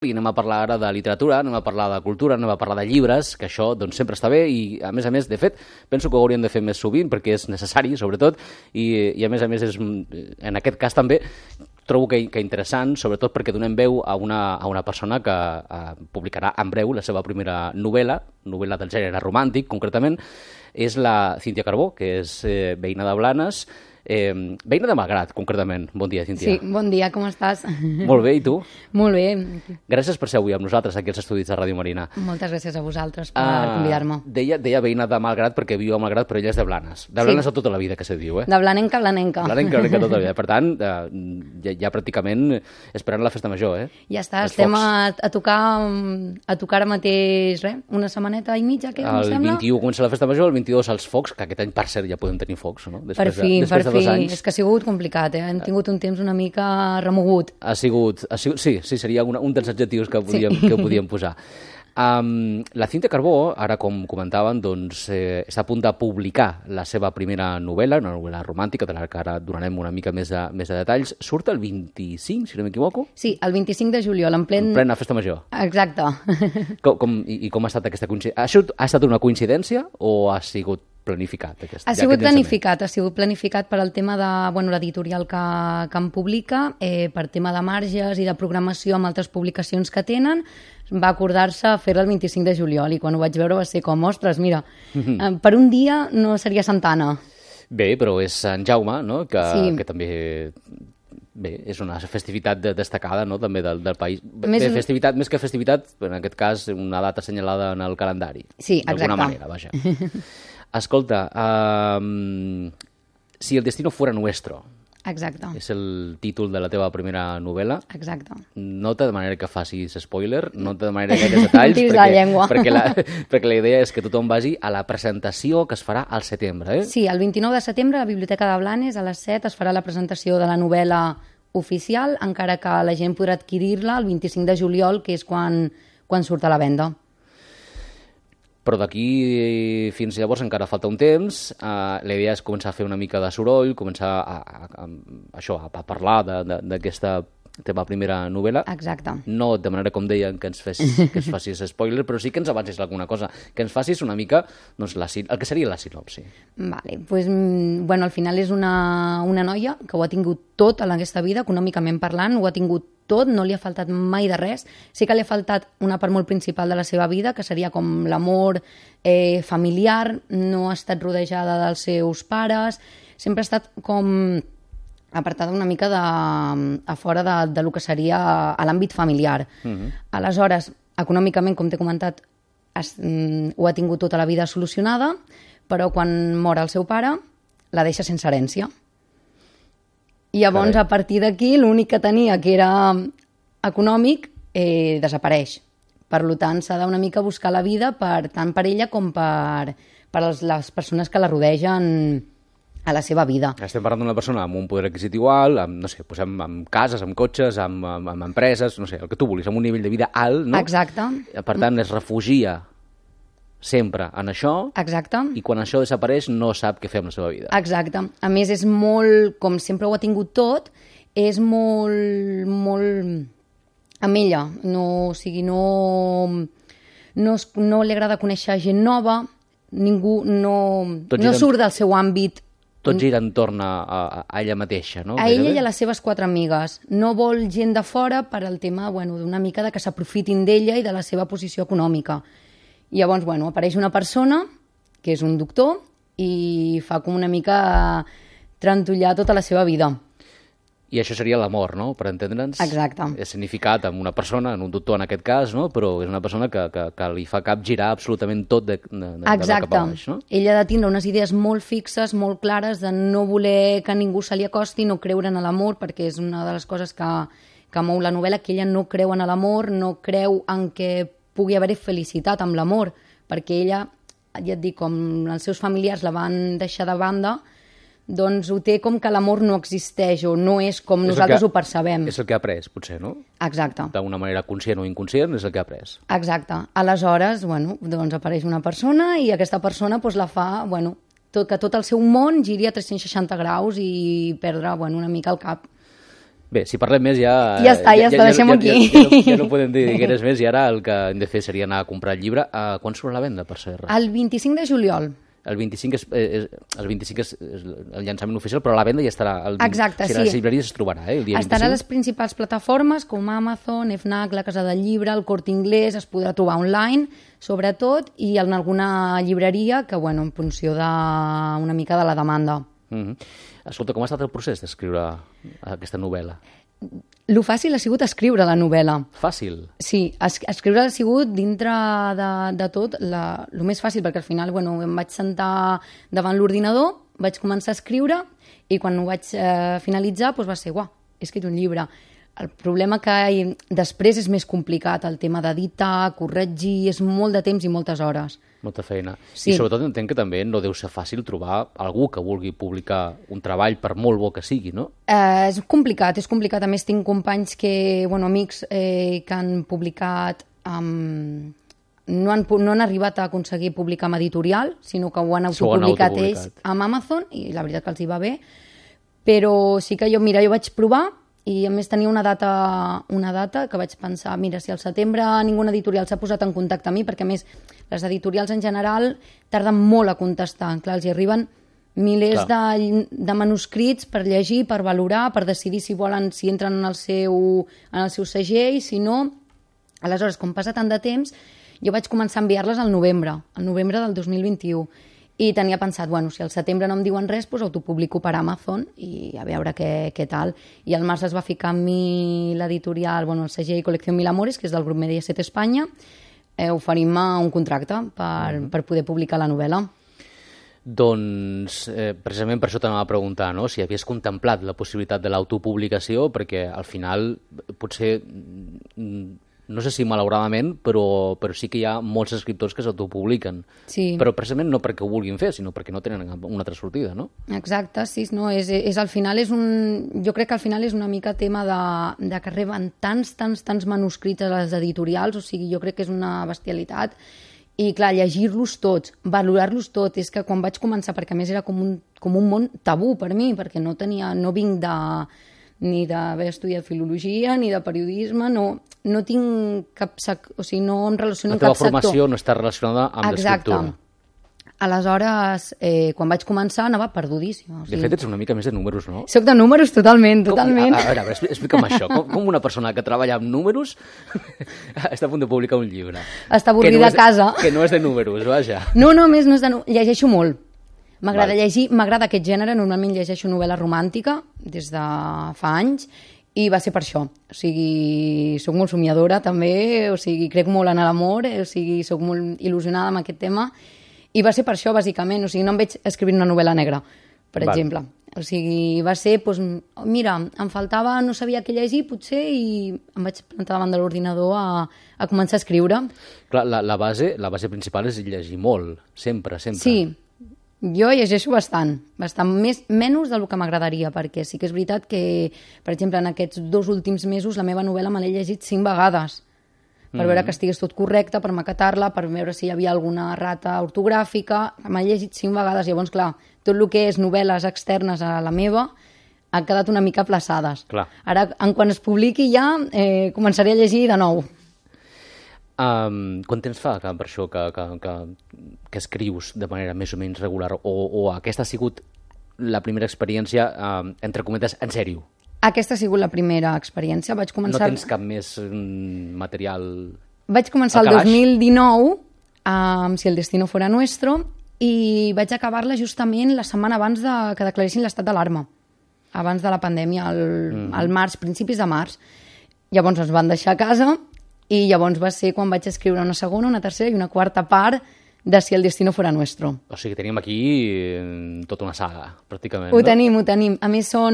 i anem a parlar ara de literatura, anem a parlar de cultura, anem a parlar de llibres, que això doncs, sempre està bé i, a més, de fet, penso que ho hauríem de fer més sovint perquè és necessari, sobretot, i a més, és, en aquest cas també, trobo que interessant, sobretot perquè donem veu a una persona que publicarà en breu la seva primera novel·la del gènere romàntic, concretament, és la Cíntia Carbó, que és veïna de Blanes, veïna de Malgrat, concretament. Bon dia, Cíntia. Sí, bon dia, com estàs? Molt bé, i tu? Molt bé. Gràcies per ser avui amb nosaltres aquí als estudis de Ràdio Marina. Moltes gràcies a vosaltres per convidar-me. Deia veïna de Malgrat perquè viu a Malgrat, però ella és de Blanes. De Blanes de tota la vida, que se diu, eh? De blanenca a blanenca. Blanenca tota la vida. Per tant, ja pràcticament esperant la festa major, eh? Ja està, estem a tocar ara mateix, una setmaneta i mitja, què, em sembla? El 21 comença la festa major, el 22 els focs, que aquest any, per cert, ja podem tenir focs, no? Per fi. És que ha sigut complicat, Hem tingut un temps una mica remogut. Ha sigut sí, seria un dels adjectius que podíem posar. La Cíntia Carbó, ara com comentaven, doncs, està a punt de publicar la seva primera novel·la, una novel·la romàntica, de la que ara donarem una mica més de detalls. Surt el 25, si no m'equivoco? Sí, el 25 de juliol, en plena festa major. Exacte. Com ha estat aquesta coincidència? Ha estat una coincidència o ha sigut planificat? Ha sigut planificat per al tema de l'editorial que em publica, per tema de marges i de programació amb altres publicacions que tenen. Va acordar-se fer-la el 25 de juliol i quan ho vaig veure va ser com, ostres, mira, per un dia no seria Santana. Bé, però és Sant Jaume, no? Que també... Bé, és una festivitat destacada, no?, també del país. Festivitat, més que festivitat, en aquest cas, una data assenyalada en el calendari. Sí, exacte. D'alguna manera, vaja. Escolta, Si el destino fuera nuestro. Exacte. És el títol de la teva primera novel·la. Exacte. No te demanaré que facis spoiler, no te demanaré gaires detalls, perquè la idea és que tothom vagi a la presentació que es farà al setembre, eh? Sí, el 29 de setembre a la Biblioteca de Blanes, a les 7, es farà la presentació de la novel·la oficial, encara que la gent podrà adquirir-la el 25 de juliol, que és quan surt a la venda. Però d'aquí fins llavors encara falta un temps. La idea és començar a fer una mica de soroll, començar a parlar d'aquesta teva primera novel·la. Exacte. No et demanaré, com deien, que ens facis spoiler, però sí que ens avancis alguna cosa, que ens facis una mica el que seria la sinopsi. Vale, pues, al final és una noia que ho ha tingut tot en aquesta vida, econòmicament parlant, ho ha tingut tot, no li ha faltat mai de res. Sí que li ha faltat una part molt principal de la seva vida, que seria com l'amor familiar, no ha estat rodejada dels seus pares, sempre ha estat com apartada una mica a fora de lo que seria a l'àmbit familiar. Aleshores, econòmicament, com t'he comentat, ho ha tingut tota la vida solucionada, però quan mor el seu pare, la deixa sense herència. I llavors, a partir d'aquí, l'únic que tenia, que era econòmic, desapareix. Per tant, s'ha d'una mica buscar la vida tant per ella com per les persones que la rodegen a la seva vida. Estem parlant d'una persona amb un poder adquisitiu alt, amb cases, amb cotxes, amb empreses, no sé, el que tu vulguis, amb un nivell de vida alt, no? Exacte. Per tant, es refugia sempre en això. Exacte. I quan això desapareix no sap què fer amb la seva vida. Exacte. A més, és molt, com sempre ho ha tingut tot, és molt amb ella. No li agrada conèixer gent nova, ningú no surt del seu àmbit. Tot gira entorn a ella mateixa, no? A ella i a les seves 4 amigues. No vol gent de fora per al tema d'una mica que s'aprofitin d'ella i de la seva posició econòmica. I llavors, apareix una persona, que és un doctor, i fa com una mica trantollar tota la seva vida. I això seria l'amor, no?, per entendre'ns. Exacte. És significat amb una persona, en un doctor en aquest cas, no?, però és una persona que li fa capgirar absolutament tot de cap a baix, no? Ella ha de tindre unes idees molt fixes, molt clares, de no voler que ningú se li acosti, no creure en l'amor, perquè és una de les coses que mou la novel·la, que ella no creu en l'amor, no creu en que pugui haver-hi felicitat amb l'amor, perquè ella, ja et dic, com els seus familiars la van deixar de banda, doncs ho té com que l'amor no existeix o no és com nosaltres ho percebem. És el que ha après, potser, no? Exacte. D'una manera conscient o inconscient és el que ha après. Exacte. Aleshores, doncs apareix una persona i aquesta persona la fa, que tot el seu món giri a 360 graus i perdre una mica el cap. Bé, si parlem més ja... Ja està, deixem-ho aquí. Ja no podem dir res més i ara el que hem de fer seria anar a comprar el llibre. Quan surt la venda, per cert? El 25 de juliol. El 25 és el llançament oficial, però la venda ja estarà. Exacte, sí. A les llibreries es trobarà, el dia 25. Estarà a les principals plataformes com Amazon, FNAC, la Casa del Llibre, el Corte Inglés, es podrà trobar online, sobretot, i en alguna llibreria que, bueno, en funció una mica de la demanda. Escolta, com ha estat el procés d'escriure aquesta novel·la? Lo fàcil ha sigut escriure la novel·la. Fàcil? Sí, escriure ha sigut dintre de tot el més fàcil, perquè al final em vaig sentar davant l'ordinador, vaig començar a escriure i quan ho vaig finalitzar va ser, uah, he escrit un llibre. El problema que després és més complicat, el tema d'editar, corregir, és molt de temps i moltes hores. Molta feina. Sí. I sobretot entenc que també no deu ser fàcil trobar algú que vulgui publicar un treball per molt bo que sigui, no? És complicat. A més, tinc companys amics que han publicat... No han arribat a aconseguir publicar amb editorial, sinó que ho han autopublicat ells amb Amazon, i la veritat que els hi va bé. Però sí que jo vaig provar, i a més tenia una data que vaig pensar, mira, si al setembre ninguna editorial s'ha posat en contacte amb mi, perquè a més les editorials en general tarden molt a contestar, clar, els hi arriben milers de manuscrits per llegir, per valorar, per decidir si entren en el seu segell, si no. Aleshores, com passa tant de temps, jo vaig començar a enviar-les al novembre del 2021, i tenia pensat, si al setembre no em diuen res, doncs autopublico per Amazon i a veure què tal. I al març es va ficar amb mi l'editorial, el segell Col·lecció Mil Amores, que és del grup Mediaset Espanya, oferint-me un contracte per poder publicar la novel·la. Doncs precisament per això t'anava a preguntar, no? Si havies contemplat la possibilitat de l'autopublicació, perquè al final potser... No sé si malauradament, però sí que hi ha molts escriptors que s'autopubliquen. Sí. Però precisament no perquè ho vulguin fer, sinó perquè no tenen una altra sortida, no? Exacte, sí. No, al final jo crec que al final és una mica tema de que reben tants manuscrits a les editorials, o sigui, jo crec que és una bestialitat. I, clar, llegir-los tots, valorar-los tots, és que quan vaig començar, perquè a més era com un món tabú per mi, perquè no vinc ni d'haver estudiat filologia, ni de periodisme, no tinc cap... O sigui, no em relaciono amb cap sector. La teva formació no està relacionada amb l'escriptura. Exacte. Aleshores, quan vaig començar, anava perdudíssima. De fet, ets una mica més de números, no? Soc de números, totalment. A veure, explica'm això. Com una persona que treballa amb números està a punt de publicar un llibre? Està avorrida a casa. Que no és de números, vaja. No, més no és de números. Llegeixo molt. M'agrada llegir, m'agrada aquest gènere, normalment llegeixo novel·la romàntica des de fa anys, i va ser per això. O sigui, soc molt somiadora també, o sigui, crec molt en l'amor, o sigui, soc molt il·lusionada amb aquest tema, i va ser per això, bàsicament. O sigui, no em veig escrivint una novel·la negra, per exemple. O sigui, va ser, doncs, mira, em faltava, no sabia què llegir, potser, i em vaig plantar davant de l'ordinador a començar a escriure. Clar, la base principal és llegir molt, sempre. Sí. Jo llegeixo bastant, menys del que m'agradaria, perquè sí que és veritat que, per exemple, en aquests 2 últims mesos la meva novel·la me l'he llegit 5 vegades, per veure que estigués tot correcte, per maquetar-la, per veure si hi havia alguna errata ortogràfica. M'he llegit 5 vegades, llavors, clar, tot el que és novel·les externes a la meva han quedat una mica aplaçades. Clar. Ara, quan es publiqui ja, començaré a llegir de nou. Quant temps fa per això que escrius de manera més o menys regular, o aquesta ha sigut la primera experiència, entre cometes, en sèrio? Aquesta ha sigut la primera experiència. Vaig començar... No tens cap més material? Vaig començar el 2019 amb Si el destino fuera nuestro, i vaig acabar-la justament la setmana abans que declaressin l'estat d'alarma, abans de la pandèmia, al març, principis de març. Llavors ens van deixar a casa, i llavors va ser quan vaig escriure una segona, una tercera i una quarta part de Si el destino fuera nuestro. O sigui, tenim aquí tota una saga, pràcticament. Ho tenim. A més són...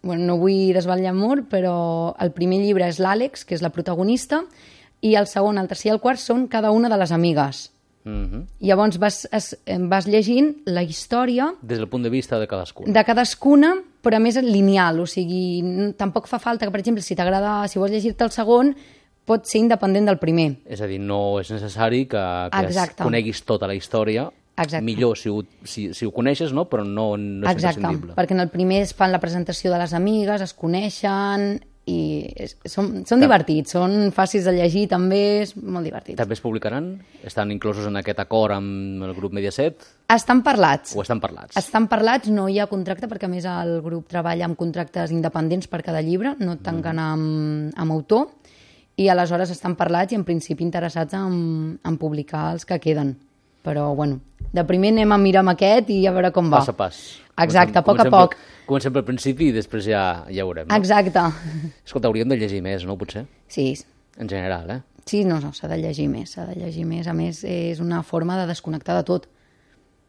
no vull desvetllar molt, però el primer llibre és l'Àlex, que és la protagonista, i el segon, el tercer i el quart són cada una de les amigues. Llavors vas llegint la història... Des del punt de vista de cadascuna. De cadascuna, però a més lineal. O sigui, tampoc fa falta que, per exemple, si vols llegir-te el segon, pot ser independent del primer. És a dir, no és necessari que coneguis tota la història millor si ho coneixes, no? Però no és imprescindible. Perquè en el primer es fan la presentació de les amigues, es coneixen i són divertits, són fàcils de llegir també, és molt divertits. També es publicaran? Estan inclosos en aquest acord amb el grup Mediaset? Estan parlats. O estan parlats? Estan parlats, no hi ha contracte perquè a més el grup treballa amb contractes independents per cada llibre, no tanquen amb autor, i aleshores estan parlats i en principi interessats en publicar els que queden. Però, bueno, de primer anem a mirar amb aquest i a veure com va. Pas a pas. Exacte, a poc. Comencem pel principi i després ja veurem. No? Exacte. Escolta, hauríem de llegir més, no, potser? Sí. En general, eh? Sí, no, s'ha de llegir més, A més, és una forma de desconnectar de tot,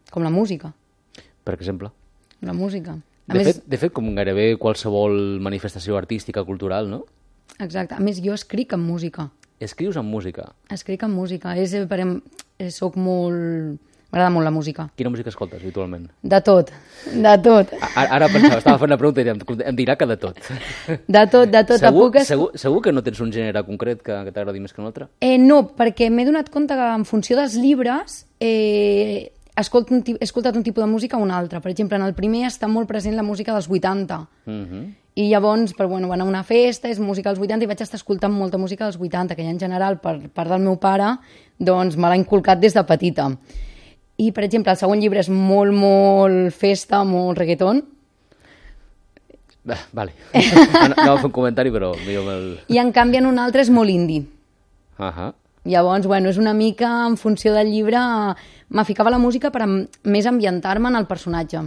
com la música. Per exemple? La música. De fet, com gairebé qualsevol manifestació artística, cultural, no? Exacte. A més, jo escric en música. Escrius en música? Escric en música. Soc molt... M'agrada molt la música. Quina música escoltes habitualment? De tot. Ara pensava, estava fent la pregunta i em dirà que de tot. De tot. Segur que no tens un gènere concret que t'agradi més que un altre? No, perquè m'he donat compte que en funció dels llibres he escoltat un tipus de música o un altre. Per exemple, en el primer està molt present la música dels 80. I llavors, van a una festa, és música dels 80 i vaig estar escoltant molta música dels 80, que ja en general, per part del meu pare, doncs me l'ha inculcat des de petita. I, per exemple, el següent llibre és molt, molt festa, molt reggaeton. Vale. No a fer un comentari, però millor me'l... I, en canvi, en un altre és molt indie. Llavors, és una mica, en funció del llibre, me ficava la música per més ambientar-me en el personatge.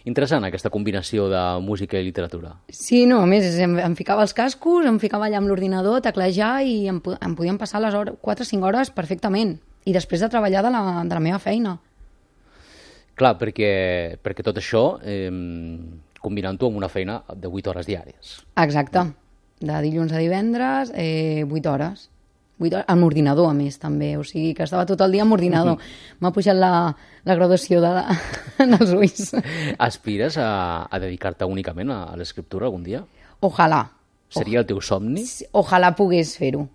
Interessant, aquesta combinació de música i literatura. Sí, no, a més, em ficava els cascos, em ficava allà amb l'ordinador, a teclejar, i em podien passar les 4 o 5 hores perfectament. I després de treballar de la meva feina. Clar, perquè tot això combinant-ho amb una feina de 8 hores diàries. Exacte. De dilluns a divendres, 8 hores. 8 hores amb ordinador, a més, també. O sigui, que estava tot el dia amb ordinador. M'ha pujat la graduació dels ulls. Aspires a dedicar-te únicament a l'escriptura algun dia? Ojalà. Seria el teu somni? Ojalà pogués fer-ho,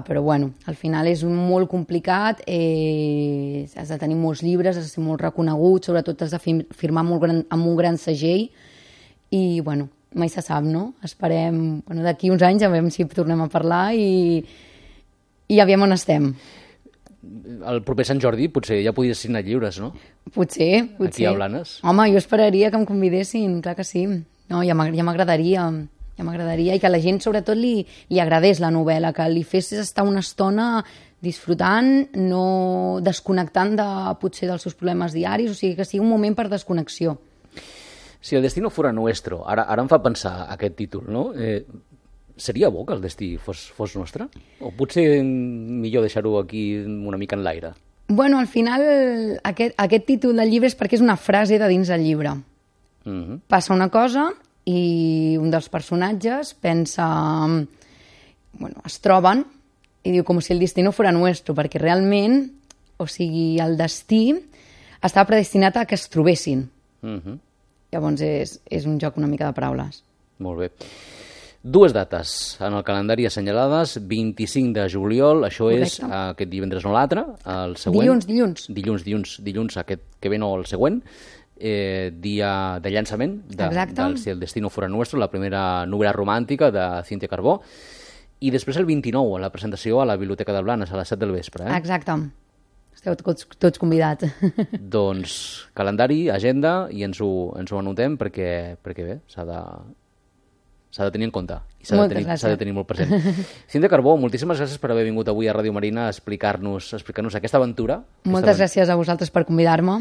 però al final és molt complicat, has de tenir molts llibres, has de ser molt reconegut, sobretot has de firmar amb un gran segell i, mai se sap, no? Esperem, d'aquí uns anys a veure si tornem a parlar i aviam on estem. El proper Sant Jordi potser ja podries signar llibres, no? Potser. Aquí a Blanes. Home, jo esperaria que em convidessin, clar que sí. No, ja m'agradaria... i que a la gent sobretot li agradés la novel·la, que li fes estar una estona disfrutant, no desconnectant potser dels seus problemes diaris, o sigui que sigui un moment per desconnexió. Si el destino fuera nuestro, ara em fa pensar aquest títol, no? Seria bo que el destí fos nostre? O potser millor deixar-ho aquí una mica en l'aire? Al final aquest títol del llibre és perquè és una frase de dins del llibre. Passa una cosa i un dels personatges pensa, es troben i diu com si el destino fuera nuestro, perquè realment, o sigui, el destí estava predestinat a que es trobessin. Llavors és un joc una mica de paraules. Molt bé. 2 dates en el calendari assenyalades, 25 de juliol, això és aquest divendres no l'altre, el següent... Dilluns aquest que ve no el següent, dia de llançament del Si el destino fuera nuestro, la primera novel·la romàntica de Cíntia Carbó, i després el 29, la presentació a la Biblioteca de Blanes a les 7 del vespre. Exacte. Esteu tots convidats. Doncs calendari, agenda, i ens ho anotem perquè bé, s'ha de tenir en compte i s'ha de tenir molt present. Cíntia Carbó, moltíssimes gràcies per haver vingut avui a Ràdio Marina a explicar-nos aquesta aventura. Moltes gràcies a vosaltres per convidar-me.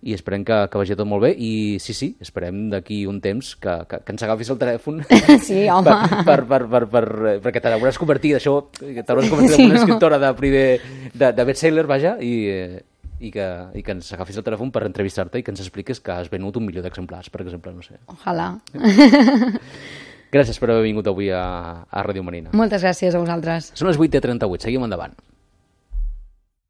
I esperem que vagi tot molt bé i sí, esperem d'aquí un temps que ens agafis el telèfon. Sí, home. Perquè t'hauràs convertit en una escriptora de best-seller, vaja, i que ens agafis el telèfon per entrevistar-te i que ens expliques que has venut 1 milió d'exemplars, per exemple, no sé. Ojalà. Gràcies per haver vingut avui a Ràdio Marina. Moltes gràcies a vosaltres. Són les 8:38, seguim endavant.